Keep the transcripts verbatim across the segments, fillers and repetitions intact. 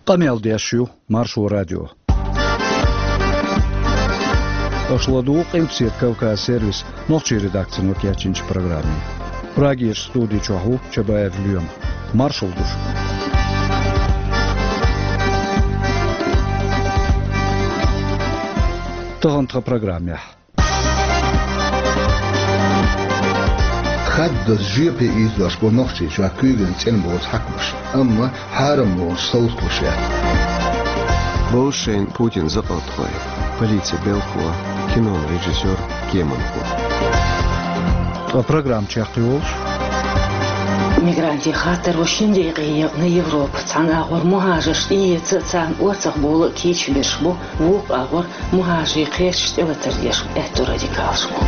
Къамел деш ю Маршо радио. Аша ладугӀу Къилбаседа Кавказ сервисан нохчийн редакцино кечйинчу программе. Прагерчу студи чохь ву Чабаев Лоьма. Маршалла ду шуьга. Тахана тхан программехь. Хаддаза жоьпе ийзош бу Нохчийчохь куьйган цӀена боцу хьаькамаш, амма хьарамлонаш совцалуш яц. Бовзу шайна Путин закъалтхой, полицин белхало, кинон режиссёр, кеманхо. Ткъа программа чекхйолуш. Мигрантийн хаттар ву шина декъе екъна Европа. Цхьана агӀор мухӀажарш тӀеэца а, царна орцах бовла а кийча берш бу, вукху агӀор мухӀажарийн кхерчаш тӀелатар деш аьтту радикалаш бу.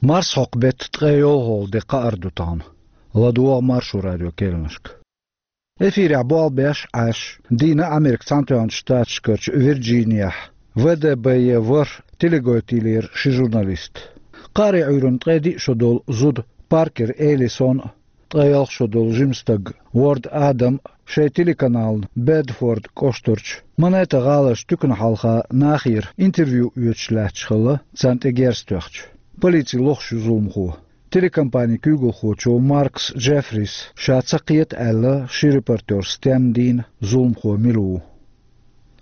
Марсхьокху беттан ткъе йолхалгӀа де кхаара ду тахана. ЛадогӀа Маршо радион керланашка. Эфирехь болх беш Ӏаш, дийна Америкин Цхьаьнатоьхначу Штаташкарчу Вирджинехь В Д Б Е ворхӀ телегойтийлера ши журналист. Кхаарин Ӏуьйранна ткъе диъ шо долу зуда Паркер Элисон а, ткъе ялх шо долу жима стаг Уорд Адам а шайн телеканална Бедфорд кӀоштарчу Манеттан гӀаларчу туькана хьалха нахера интервью оьцуш лаьтташ хилла, царна тӀе герз тоьхча. Полици лохуш ю зуламхо. Телекомпанин куьйгалхочо Маркс Джеффрис ша ца кхета аьлла, ши репортер стенна дийна зуламхо мила ву.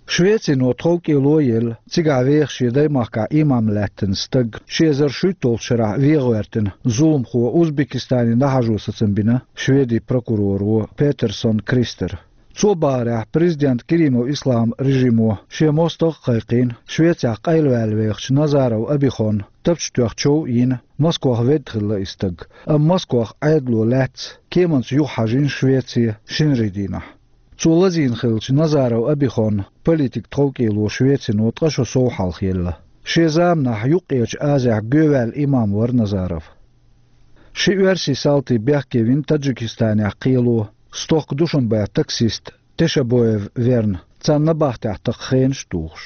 Швецино тховкӀело а елла, цигахь веха шен даймахкахь имам лаьттина стаг ши эзар шуьйтталгӀачу шарахь вен гӀоьртина зуламхо Узбекистане дӀахьажо сацам бина Шведин прокуроро Петерсон Кристера. Цо бахарехь, президент Керимов Ислам режимо шен мостагӀа а кхайкхийна, Швецехь къайлаваьлла вехачу Назаров Абихонна тапча тоьхна чов а йина, Москвахь ведда хилла и стаг, амма Москвахь Ӏедало лаьцна кеманца юхахьажийна Швеце шинарин дийнахь. Цо лазийна хиллачу Назаров Абихонна политикан тховкӀело Швецино ткъа шо сов хьалха елла. Шен заманахь Юккъерчу Азехь гоьваьлла имам вара Назаров. Ши оьрсийн салти бехке вина Таджикистанехь кхело, стохка Душанбехь таксист Тешабоев верна, царна набахтехь тхан хенаш а тухуш.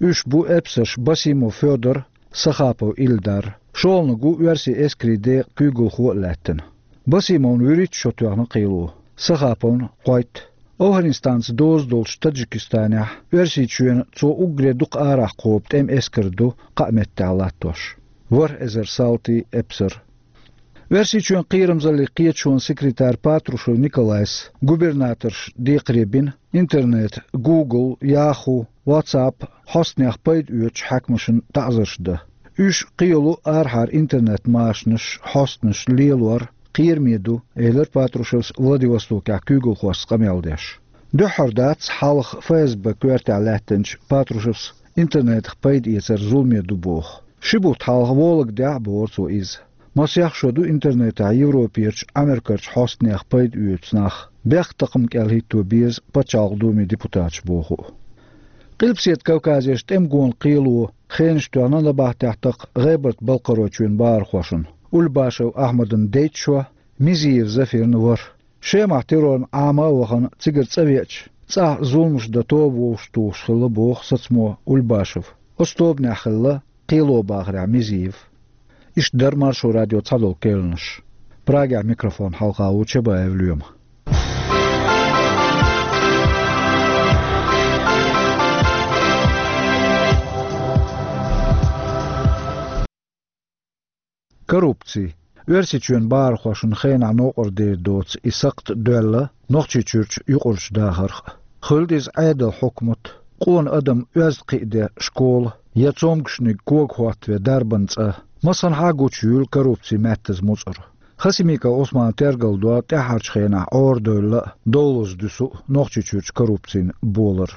Уьш бу эпсарш Басимов Фёдор, Сахапов Ильдар. ШолгӀаниг ву оьрсийн эскарийн декъан куьйгалхо а лаьттина. Басимовна вуьрхӀитта шо тоьхна кхело, Сахаповна кхойтта. АвгӀанистанца доза долчу Таджикистанехь Оьрсийчоьнан цо уггаре дукха арахь кхобу тӀеман эскар ду кхаа меттехь латтош. ВорхӀ эзар салти, эпсар. Оьрсийчоьнан кхерамзаллин кхеташонан секретара Патрушев Николайс губернаторшна декхаре бина интернет, Google, Yahoo, WhatsApp хьостанех пайда оьцучу хьаькамашна таӀзарш дан. Уьш кхело арахьара интернет-машанаш, хьостанаш лелор кхераме ду, элира Патрушевс Владивостокехь куьйгалхошца къамел деш. Дуьххьара дац хьалха ФСБ коьртехь лаьттинчу Патрушевс интернетах пайда эцар зуламе ду боху. Ши бутт хьалха Вологдехь а бохура цо иза. Масех шо ду интернетехь Европерчу, Америкерчу хьостанех пайда оьцу нах, бехктакхаман кӀел хӀитто беза Пачхьалкхан Думин депутаташ боху. Къилбаседа Кавказерчу тӀеман гонан кхело хенаш тоьхна набахтехь тхан ГӀебарта-Балкхаройчоьнан бахархошна Ульбашев Ахьмадан дейтта шо, Мизиев Зафирна ворхӀ. Шемахь террорна Ӏама а вахана, цигара цӀа веача, цӀахь зуламаш дан тоба вовшахтухуш хилла боху сацамо Ульбашев. Оцу тобанехь хилла кхело бахарехь Мизиев. Иштта дара Маршо радион цхьадолу керланаш. Прагехь микрофон хьалха ву Чабаев Лоьма. Коррупци. Оьрсийчоьнан бахархошна хенахь новкъарлера доцу и сакхт доьлла Нохчийчуьрчу юкъарчу дахарх а. Хуьлда иза Ӏедалан хьукмат, къона адам оьзда кхиаде школа я цомгушниг кога хӀоттаве дарбан цӀа. Массанхьа а гучуйийла коррупцин маьттаза муцӀар. Хасимиков Ӏусман тергалдо тӀаьххьарчу хенахь Ӏорадевлла а, довлаза дуьсу а Нохчийчуьрчу коррупцин болар.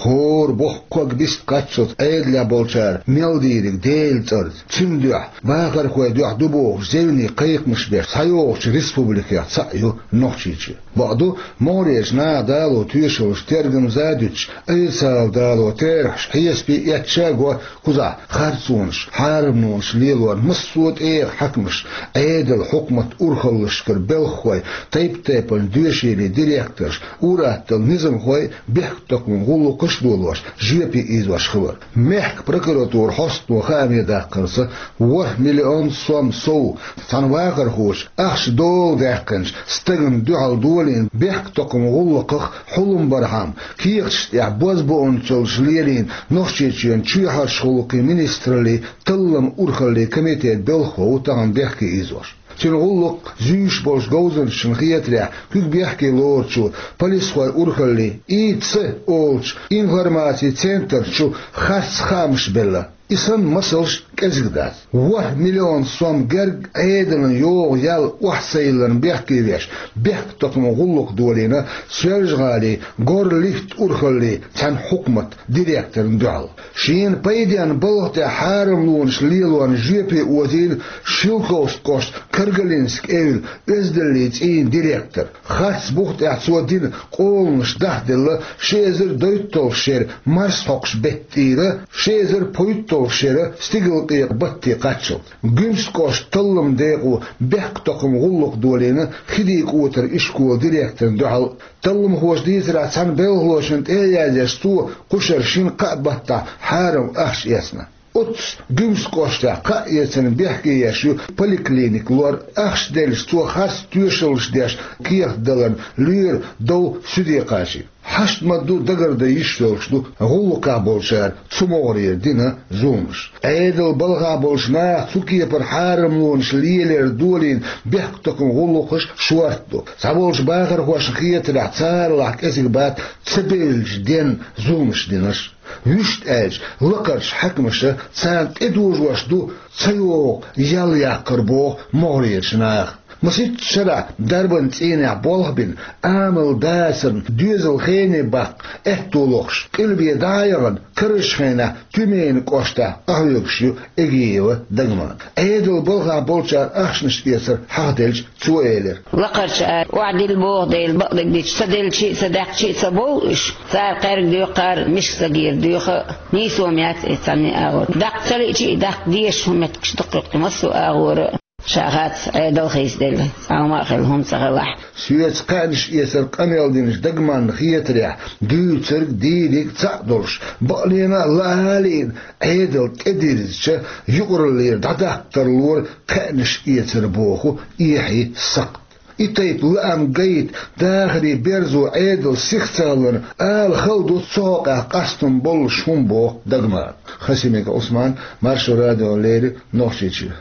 ХӀора боху ког бист кхаччалц Ӏедалехь болчара мел дийриг Делан цӀарца, цуьнан дуьхьа, бахархойн дуьхьа ду бохуш зевне кхайкхамаш беш схьайогӀучу республикех цхьаъ ю Нохчийчоь. Бакъду, могӀарерчу наха дало тоьшаллаш, тергамза а дуьтуш, официалан дало терахьаш, хьесапе эцча а го кхузахь харцонаш, хьарамлонаш лелоран массо а тӀегӀан хьаькамаш, Ӏедалан хьукмат урхаллашкара белхахой, тайп-тайпана доьшийлин директорш, ур-атталла низамхой, бехктакхаман гӀуллакх гӀаш долош, жоьпе ийзош хилар. Мехка прокуратура хьостано хаамедаьккхарца, ворхӀ миллион сом сов цхьана вахархочо ахча дола даьккхинчу стагана дуьхьал долийна бехктокхаман гӀуллакхах хьулам бархьама, кехаташ тӀехь бозбуунца йолуш лелийна Нохчийчоьнан чоьхьарчу гӀуллакхийн министраллин талламан урхаллин комитетан белхахо ву тахана бехке ийзош. Цуьнан гӀуллакх зуьйш болчу говзанчашна хетарехь, куьг бехке лоручо полисхойн урхаллин И Ц олучу информацин центрачу харц хаамаш белла. И санна масалш кӀезиг дац. ВорхӀ миллион сом герга Ӏедална йогӀу ял охьасайларна бехке веш, бехктокхаман гӀуллакх долийна Соьлжа-ГӀалин Горлифт урхаллин цхьана хьукмат директорна дуьхьал. Шена пайденна балха тӀехь хьарамлонаш лелорна жоьпе озийна Шелковски кӀоштан Каргалински эвла оьздангаллин цӀийнан директор. Харц бух тӀехь цо дина къоланаш дахделла ши эзар дейтталгӀачу шеран марсхьокху беттан тӀера, ши эзар пхийтталгӀачу шеран стигалкъекъа бетте кхаччалц. Гуьмсан кӀоштан талламан декъо бехктокхаман гӀуллакх долийна Хидин-КӀотаран ишколан директорна дуьхьал. Талламхоша дийцарехь, цхьана белхалочунна тӀе а язъеш, цо кху шарахь шина-кхаа баттахь хьарам ахча эцна. Оццу Гуьмсан кӀоштахь кхаъ эцарна бехке еш ю поликлиника лор. Ахча делча, цо харц тоьшаллаш деш кехат даларна лоьран дов суьде кхачийна. Хьашт ма-дду дагардан йиш йолуш ду гӀуллакхехь болчара цу могӀарера дина зуламаш. Ӏедалан балхахь болчу наха цу кепара хьарамлонаш лелор долийна бехктокхаман гӀуллакхаш шорта ду. Цхьаболчу бахархошна хетарехь, царалахь кӀезиг бац ца бевллачу денна зуламаш динарш. Вуьшта аьлча, лакхарчу хьаькамаша царна тӀедожош ду ца йогӀу ял яккхар, боху могӀарерчу наха. Масийтта шарахь дарбан цӀийнехь болх бина, амал дацарна доьзал хене баккха аьтто лохуш, къилбе дӀа а яхана, карарчу хенахь Тюменан кӀоштахь къахьоьгуш ю Эгиева Дагман. Ӏедалан балхахь болчара ахчанаш эцар хьахаделча, цо элира: «Лакхарчара охьадилла боху дела, бакъдерг дича, ца делча а, ца даьккхича а ца бовлу уьш. Цара кхаьрга доьху, кхара миска стагера доьху а, нийсо ма яц иза цхьанне а агӀор. Даккха ца лиъча а, даккха дезаш хӀума меттигаш ду-кх кху массо а агӀора а. Ша хац, Ӏедал хийцаделла, цхьа хӀума а хилла хӀума ца хилахь». Соьца кхаьънаш эцар къамел динчу Дагманна хетарехь, дуьйцург, дийриг цхьаъ долуш, бакъдерг а лаа а лиъна, Ӏедал тӀедирзича, юкъараллера дӀадаккхарлора кхаьънаш эцар боху эхье сакхт. И тайпа лаам гайта, дахаран берзо Ӏедал сиха ца хиларна, ала хала ду цу хьокъехь къастам боллуш хӀума, боху Дагмана. Хасимиков Ӏусман, Маршо радиона леррина, Нохчийчоь.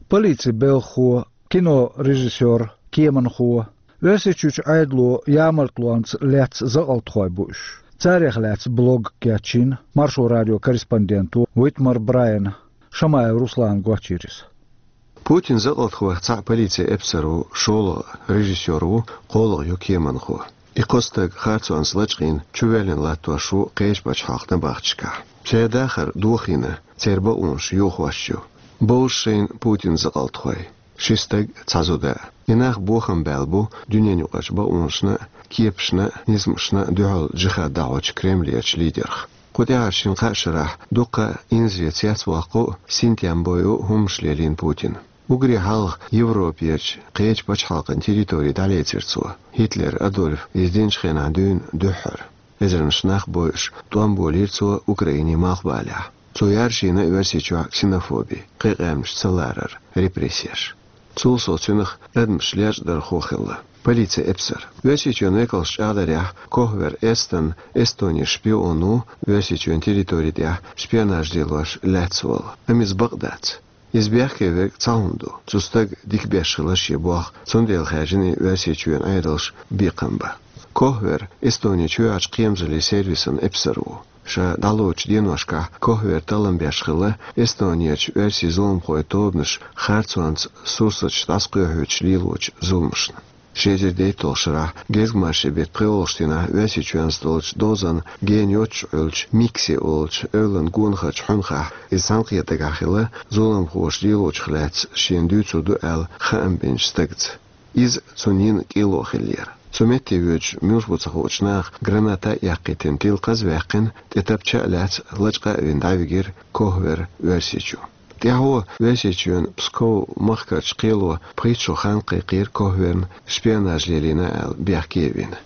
Полицин белхахо, кинорежиссёр, кеманхо, Оьрсийчуьрчу Ӏедало ямартлонца лаьцна закъалтхой бу уьш. Царех лаьцна блог кечйина Маршо радион корреспонденто Уитмар Брайана. Шамаев Руслана гочйира иза. Путинан закъалтхойх цхьаъ полицин эпсар ву, шолгӀа режиссёр ву, кхоалгӀа ю кеманхо. И кхо стаг харцонца лачкъийна чувоьллина латтош ву кхечу пачхьалкхан набахтешкахь. Церан дахар дохийна, церан бакъонаш йохош ю. Бовзу шайна Путинан закъалтхой: ши стаг, цхьа зуда. И нах бохам баьлла бу дуьненаюкъарчу бакъонашна а, кепашна а, низамашна а дуьхьал джихад дӀахьочу Кремлерчу лидерх. Кху тӀаьхьарчу шина-кхаа шарахь дуккха а инзаре цецваккха а, синтем бойъа а хӀуманаш лелийна Путина. Уггаре хьалха Европерчу кхечу пачхьалкхан территори дӀалецира цо, Гитлер Адольф иза динчу хенахь дуьйна дуьххьара. Эзарнаш нах бойъуш, тӀом болийра цо Украинин малхбалехь. Цо яржийна Оьрсийчохь ксенофоби, кхин къаьмнаш ца ларар, репрессеш. Цул сов цуьнах адамаш лечкъадархо хилла, полицин эпсар. Оьрсийчоьнан векалша чӀагӀдарехь, Кохвер Эстон Эстонин шпион ву, Оьрсийчоьнан территори тӀехь шпионаж лелош лаьцна волу. Амма иза бакъ дац. Иза бехке верг цхьа хӀума ду: цу стага дика беш хилла шен болх, цундела хаьржина и Оьрсийчоьнан Ӏедалш бекхам бан. Кохвер Эстонин чоьхьарчу кхерамзаллин сервисан эпсар ву. Ша дӀалоцучу деношкахь Кохвер таллам беш хилла Эстонерчу оьрсийн зуламхойн тобанаш харцонца сурсаташ дӀасакхоьхьуьйтуш лелочу зуламашна. Ши эзар дейтталгӀачу шарахь гезгмашин беттан пхоьалгӀачу дийнахь Оьрсийчоьнца долчу дозанна гена йоццуш Ӏуьллучу Микси олучу эвлан гонахарчу хьуьнхахь иза цхьаьнакхетаргахь хилла зуламхоша лелочух лаьцна шена дуьйцур ду аьлла хаам бинчу стагца. Иза цунна йина кӀело хиллера. Цу метте воьдуш муьлш бу ца хуучу наха граната а эккхийтина тилкхаз а ваьккхина, тӀе тапча а лаьцна, лачкъа а вина дӀавигира Кохвер Оьрсийчу. ТӀаьхьо Оьрсийчоьнан Псков махкарчу кхело пхийтта шо хан кхайкхийра Кохверна шпионаж лелийна аьлла бехке а вина.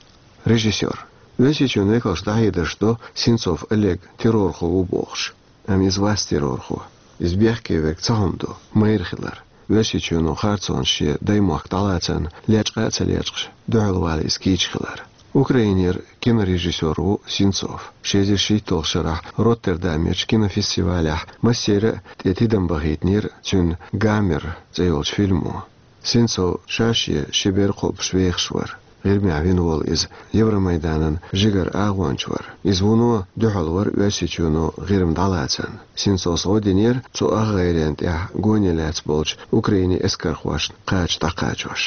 Режиссёр. Оьрсийчоьнан векалш дӀахьедарш до, Сенцов Олег террорхо ву бохуш. Амма иза вац террорхо. Иза бехке верг цхьа хӀума ду, майра хилар. Оьрсийчоьно харцонаш шен даймохк дӀалацарна лечкъа а ца лечкъаш, дуьхьал вала иза кийча хилар. Украинера кинорежиссёр ву Сенцов. Ши эзар шийтталгӀачу шарахь Роттердамерчу кинофестивалехь массеран а тӀе тидам бахийтинера цуьнан «Гамер» цӀе йолчу фильмо. Сенцов ша-шен ши бер кхобуш вехаш вара. ГӀирмехь вина волу иза Евромайданан жигара агӀонча вара. Иза вуно дуьхьал вара Оьрсийчоьно ГӀирма дӀалацарна. Сенцовс гӀо динера цу ах гӀайренна тӀехь гоне лаьцна болчу Украинин эскархошна кхача дӀакхачош.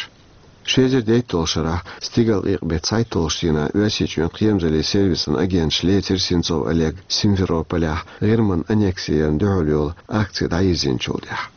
Ши эзар дейтталгӀачу шарахь стигалкъекъа беттан цхьайтталгӀачу дийнахь Оьрсийчоьнан кхерамзаллин сервисан агенташа лецира Сенцов Олег Симферополехь ГӀирман аннекси ярна дуьхьал йолу акци дӀайирзинчул тӀаьхьа.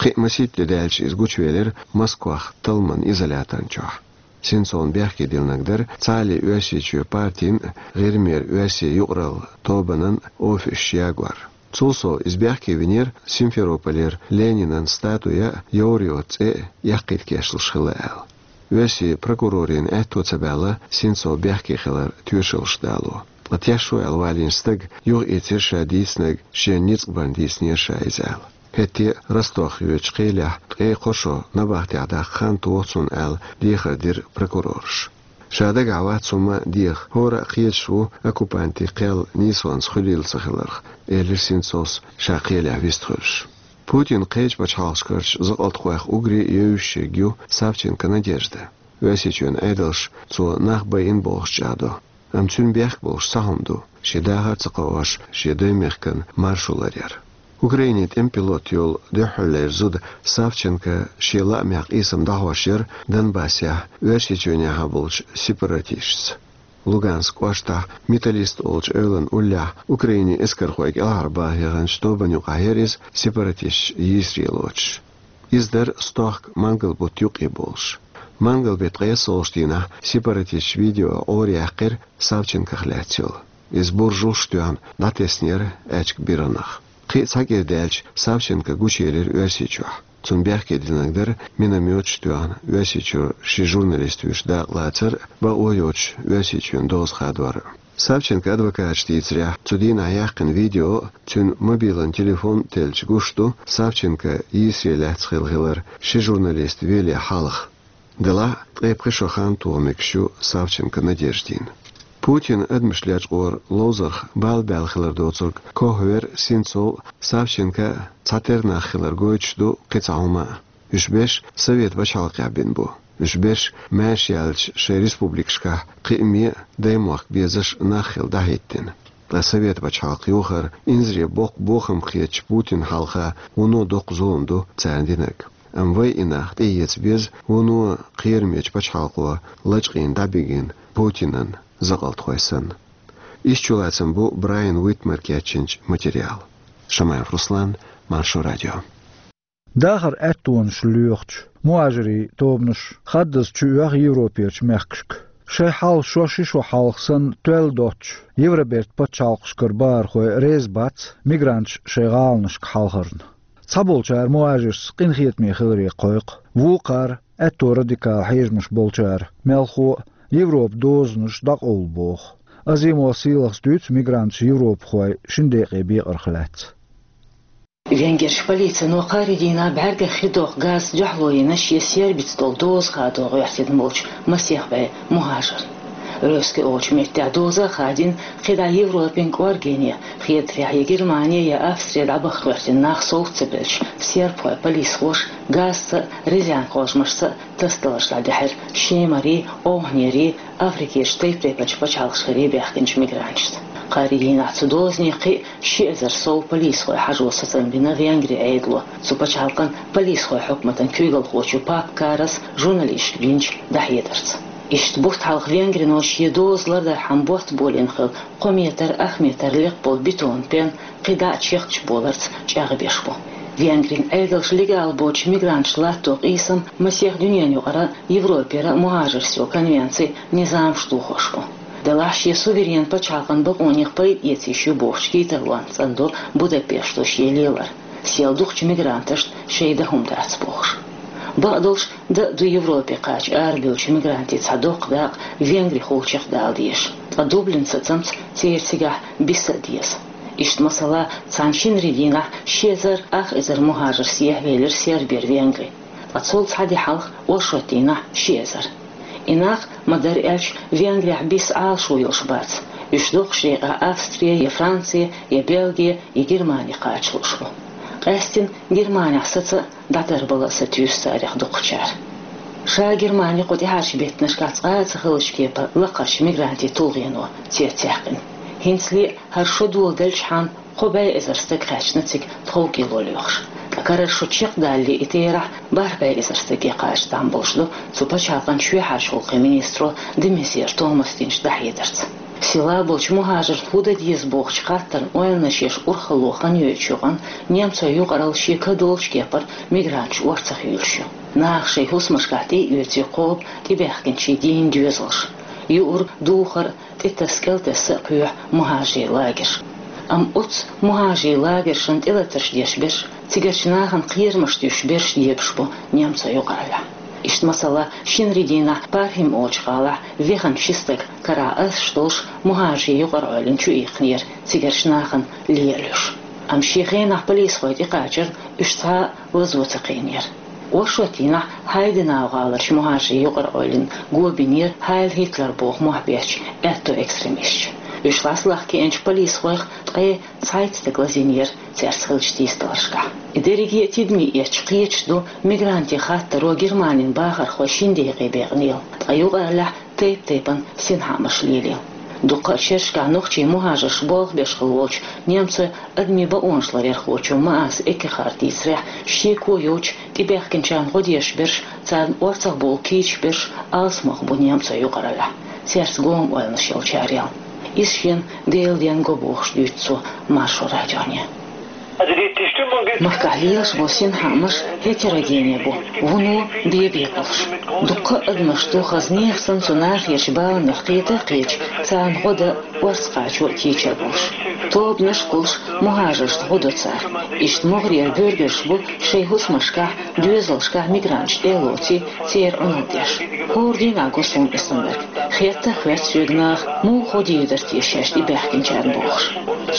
Кхин а масийтта де даьлча иза гучувелира Москвахь талламан изоляторна чохь. Сенцовна бехке диллинарг дара цхьааллин Оьрсийчоь партин а, ГӀирмера оьрсийн юкъаралла тобанан а офисаш ягор. Цул сов иза бехке винера Симферополера Ленинан статуя а, Йовриот цӀе а яккхийта кечлуш хилла аьлла. Оьрсийн прокурорийн аьтто ца баьлла Сенцов бехке хилар тоьшаллаш дало. Ткъа тешо аьлла валийна стага юхаийцира ша дийцинарг шена ницкъ барна дийцинера ша иза аьлла. ХӀетте а Ростовехь йоьдучу кхелехь ткъе кхо шо набахтехь даккха хан тоха цунна аьлла, дехар дира прокурораша. Ша дагахь вац хӀумма а деха, хӀора а кхеташ ву оккупантийн кхел нийсонца хуьлийла ца хиларх, элира Сенцовс ша кхелехь вистхуьлуш. Путинан кхечу пачхьалкхашкарчу закъалтхойх уггаре а евзаш ерг ю Савченко Надежда. Оьрсийчоьнан Ӏедалша цо нах байина бохуш чӀагӀдо. Амма цуьнан бехк болуш цхьа хӀума ду, шен дахар а ца кхоош, шен даймехкан маршо ларъяр. Украинин тӀеман пилот йолу дуьххьарлера зуда Савченко шен лаамехь къийсам дӀахьош яра Донбассехь Оьрсийчоьнехьа болчу сепаратисташца. Луганск кӀоштахь Металлист олучу эвлан уллехь Украинин эскархой кӀелхьарбаха яханчу тобанна юкъахь яра иза, сепаратисташ йийсаре лоцуш. Иза дара стохка мангал бутт юккъе болуш. Мангал беттан ткъессолгӀачу дийнахь сепаратисташа видео Ӏораяьккхира Савченкох лаьцна йолу. Иза буржалш а тоьхна дӀатеснера аьчка биргӀанах. Кхин а цхьа кӀира даьлча Савченко гучуелира Оьрсийчохь. Цунна бехке динарг дара минометаш а тоьхна Оьрсийчуьра ши журналист вуьйш дакъалацар а, бакъо йоцуш Оьрсийчоьнан доза хадор а. Савченкон адвокаташа дийцарехь, цу дийнахь яьккхина видео а, цуьнан мобилан телефон а теллича гуш ду Савченко йийсаре лаьцна хилла хилар ши журналист веле хьалха. Делахь а ткъе пхи шо хан тоха мегаш ю Савченко Надеждин. Путинан адамаш лечкъоран ловзарх бала баьлла хилар доцург Кохвер, Сенцов а, Савченко а цхьатерра нах хилар гойтуш ду кхин цхьа хӀума а. Уьш берш Совет пачхьалкхехь бина бу. Уьш берш маьрша яьллачу шайн республикашкахь кхиаме а, даймохк безаш а нах хилла дӀахӀиттина. Ткъа Совет пачхьалкх йохар инзаре боккха бохам хетачу Путинна хьалха вуно доккха зулам ду царна динарг. Амма вай и нах тӀеэца беза вуно кхерамечу пачхьалкхо лачкъийна дӀабигина Путинан закъалтхой санна. Иштта чулацам бу Брайан Уитмара кечйинчу материалан. Шамаев Руслан, Маршо радио. Дахаран аьттонаш лоьхучу мухӀажирийн тобанаш хаддаза чуоьху Европерчу мехкашка. Шайн хьал шо ши шо хьалха санна тоьлла доцучу Евробертан пачхьалкхашкара бахархой реза бац мигранташ шайн гӀаланашка хьалхарна. Цхьаболчара мухӀажирш къинхетаме хиларе кхойкху, вукхара, аьтто радикал хьежамаш болчара, мелхо а, Европан дозанаш дӀакъовла боху. Азимов Сийлахьс дуьйцу мигранташа европахой шина декъе бекъарх лаьцна. Венгерчу полицино кхаарин дийнахь бӀаьргех хи доккху газца дуьхьало йина шен Сербица долу доза хадо гӀоьртина болчу масех бӀе мухӀажарна. Ревски олучу меттехь доза а хадийна, кхидӀа Европин кӀоргене, Хедарехь я Германи, я Австри дӀабаха гӀоьртина нах совца ца белча, сербхойн полисхоша газца а, резенан кхожамашца а тасадаларш дӀадаьхьира шемарий, овхӀанерий, Африкерчу тайп-тайпанчу пачхьалкхашкарий баьхкинчу мигранташца. Кхаарин дийнахь цу дозане кхин а ши эзар сов полисхой хьажо сацам бина Венгрин Ӏедало, цу пачхьалкхан полисхойн хьукматан куьйгалхочо Пап Карас журналисташка бинчу дӀахьедарца. Иштта бутт хьалха Венгрино шен доза лардархьама ботт болийна хилла кхо метр, ах метр лекха болу бетонан пен кхидӀа а чехкачу боларца чӀагӀбеш бу. Венгрин Ӏедалша легал боцучу мигранташна латто къийсам масех дуьненан юкъара, Европера мухӀажаршца йолу конвенци низамаш дохош бу. Делахь шен суверенан пачхьалкхан бакъонех пайда эца йиш ю бохучу кийсарлонца цӀандо Будапешто шен лелар, сел дукхачу мигранташна шайн дан хӀума дац бохуш. Бакъдолуш, дан а ду Европе кхача арабевллачу мигрантийн цхьа доккха дакъа Венгрихула чекхдала дезаш. Ткъа Дублин сацамца церан цигахь биса а деза. Иштта, масала, цхьана шинарин дийнахь ши эзар ах эзар мухӀажар сехьавелира Сербера Венгри. Ткъа цул цхьа де хьалха оршот дийнахь ши эзар. И нах, ма-дарра аьлча, Венгрехь биса Ӏалашо йолуш бац. Уьш дукхачу декъехь Австри, я Франци, я Бельги, я Германи кхача лууш бу. Къаьсттина Германехь саца а, дӀатарбала а сатуьйсу царех дукхачара. Ша Германи кху тӀаьхьарчу беттанашкахь цкъа а ца хиллачу кепара лакхарчу мигрантийн тулгӀено цецъяьккхина. ХӀинцале а хӀара шо доладелчхьана кхо бӀе эзар стаг кхаьчна цига тховкӀело лоьхуш. Ткъа карара шо чекхдалале и терахь бархӀ бӀе эзар стаге кхача там болуш ду, цу пачхьалкхан шоьхьарчу гӀуллакхийн министро де Мезьер Томаса динчу дӀахьедарца. Села болчу мухӀажарна хӀун дан деза бохучу хаттарна ойланаш еш урхалло хан йойтучу юкъана немцойн юкъаралла шен ка долчу кепара мигранташ орцах юьйлуш ю. Наха шайн хӀусамашкахь тӀе а оьций кхоба тӀебаьхкинчийн дийна доьзалш. Юург, духар а, тӀетасса, кӀелтесса а кхоьхьу мухӀажарийн лагерш. Амма оцу мухӀажарийн лагершна тӀелатарш деш берш, цигарчу нахана кхерамаш туьйсуш берш дебаш бу немцойн юкъараллехь. Иштта, масала, шинарин дийнахь Пархим олучу гӀалахь вехана ши стаг карахь асуш долуш мухӀажарийн юкъараллин чу иккхинера цигарчу нахана лелош. Амма шен хенахь полисхой тӀекхачарна уьш цхьа а лазо ца кхиънера. Оршот дийнахь Хайденау гӀаларчу мухӀажарийн юкъараллина го бинера Хайль Гитлер боху мохь беттачу аьтту экстремисташа. Уьш ласлахь кхиъначу полисхойх ткъе цхьайтта стаг лазийнера цаьрца хиллачу тийсадаларшкахь. И дерриге а тидаме эцча кхеташ ду мигрантийн хаттаро Германин бахархой шина декъе бекънийла, ткъа юкъараллехь тайп-тайпана синхаамаш лелийла. Дуккха а шерашкахь нохчийн мухӀажарш болх беш хилла волчу немцойн адамийн бакъонаш ларъярхочо Маас Эккехарда дийцарехь, шеко йоцуш тӀебаьхкинчарна гӀо деш берш, царна орцах бовла кийча берш алсамох бу немцойн юкъараллехь, цаьрца гома ойланаш йолчарел. Иза шена Делан денна го бохуш дуьйцу цо Маршо радионе. Махкахь лелаш болу синхаамаш гетерогене бу, вуно бен-бен болуш. Дуккха а адамаш ду хаза нехан санна цу нахерчу баланех кхета а кхеташ, царна гӀо дан орца кхачо а кийча а болуш. Тобанаш а кхуллуш, мухӀажаршна гӀо до цара. Иштта могӀарера буьргерш бу шайн хӀусамашкахь, доьзалшкахь мигранташ тӀе а лоций, церан Ӏуналла деш. ХӀора дийнахь го суна и саннарг. Хетта а хоьтту соьга наха, муха гӀо дийр дара те шаьш тӀебаьхкинчарна бохуш.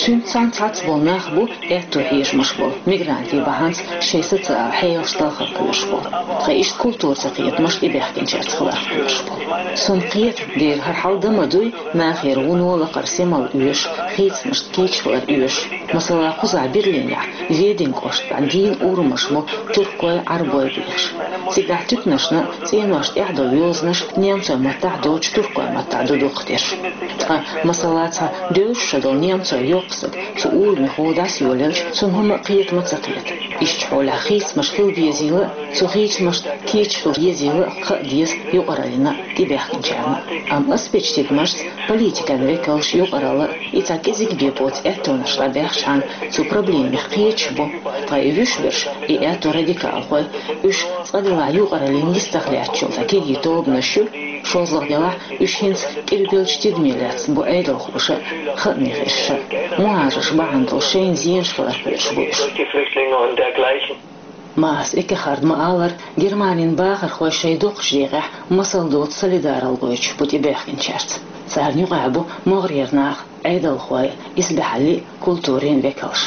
Цуьнца цхьаьна цхьацца болу нах бу аьтту хьежамаш болу, мигрантийн бахьанца шайн социал хьелаш талхар кхоьруш болу. Ткъа иштта культура ца кхетамаш тӀебаьхкинчаьрца хиларх кхоьруш болу. Суна кхета, дера хӀара хьал дан ма дуй, нахера вуно лакхара сема оьшуш, хийцамашна кийча хилар оьшуш. Масала, кхузахь Берлинехь, Ведень кӀоштахь дийна урамаш бу туркойн, Ӏарбойн бехаш. Цигахь туьканашна а, цӀеношна тӀехь долу йозанаш немцойн маттахь а доцуш туркойн маттахь а ду дукхахдерш. Ткъа, масала, цхьа девзаш шо долу немцойн йоккха стаг цу урамехула дӀасайолаелча, цунна хӀумма а кхета ма ца кхета. Иштта хьолехь хийцамаш хила безийла а, цу хийцамашна кийча хила езийла а хаа деза юкъараллина а, тӀебаьхкинчарна а. Амма ас бечу тидамашца политикан векалш, юкъаралла а и цхьа кӀезиг бен боцу аьттонаш дӀабаьхчахьана, цу проблемех кхеташ бу, ткъа и вуьш берш, и аьтту радикалхой, уьш цкъа делахь юкъараллин йистах лаьтташ йолу кегий тобанаш ю, шолгӀа делахь уьш хӀинца кӀирбеллачу тидаме лаьцна бу Ӏедалхоша а, хааман гӀирсаша а. МухӀажарш бахьана долу шайна зенаш хиларх кхоьруш бу уьш. Маас Эккехарда ма-аллара, Германин бахархой шайн доккхачу декъехь масал доцу солидаралла гойтуш бу тӀебаьхкинчаьрца. Царна юкъахь бу могӀарера нах, Ӏедалхой, исбаьхьаллин а, культурин а векалш.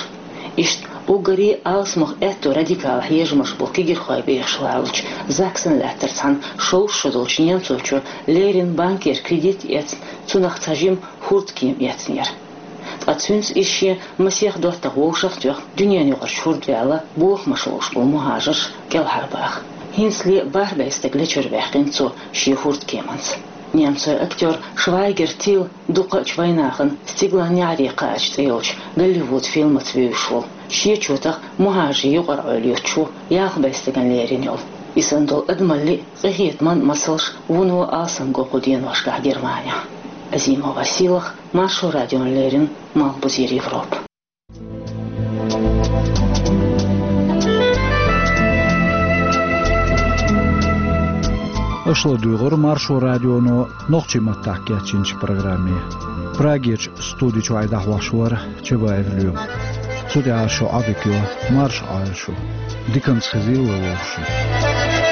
Иштта уггаре а алсамох аьтту радикал хьежамаш болу кегирхой бехаш лалучу Заксен лаьттара цхьана шовзткъа шо долчу немцочо леррина банкера кредит эцна, цунах цхьа жима хӀордкема эцнера. Ткъа цуьнца иза шен масех доттагӀа вовшах а тоьхна, дуьненаюкъарчу хӀорда ваьлла, бохамаш ловш болу мухӀажарш кӀелхьарбаха. ХӀинцале бархӀ бӀе стаг лечуьра ваьккхина цо шен хӀордкеманца. Немцойн актёр Швайгер Тил дукхачу вайнахана «Стиглан неӀаре кхаьчча» цӀе йолчу Голливуд фильмаца вевзаш волу, шен чотах мухӀажарийн юкъара Ӏойла юьтуш ву, ялх бӀе стагана лерина йолу. И санна долу адамаллин а, къинхетаман а масалш вуно алсам го кху деношкахь Германехь. Азимова Сийлаха, Маршо радиона леррина, Малхбузера Европа. Аша ладуьйгӀира Маршо радионо нохчийн маттахь кечйинчу программе. Прагерчу студи чуьра дӀахьош вара Чабаев Лоьма. Цу тӀехь шун Ӏодика йо, марша Ӏойла шу. Диканца хезийла вовшашна.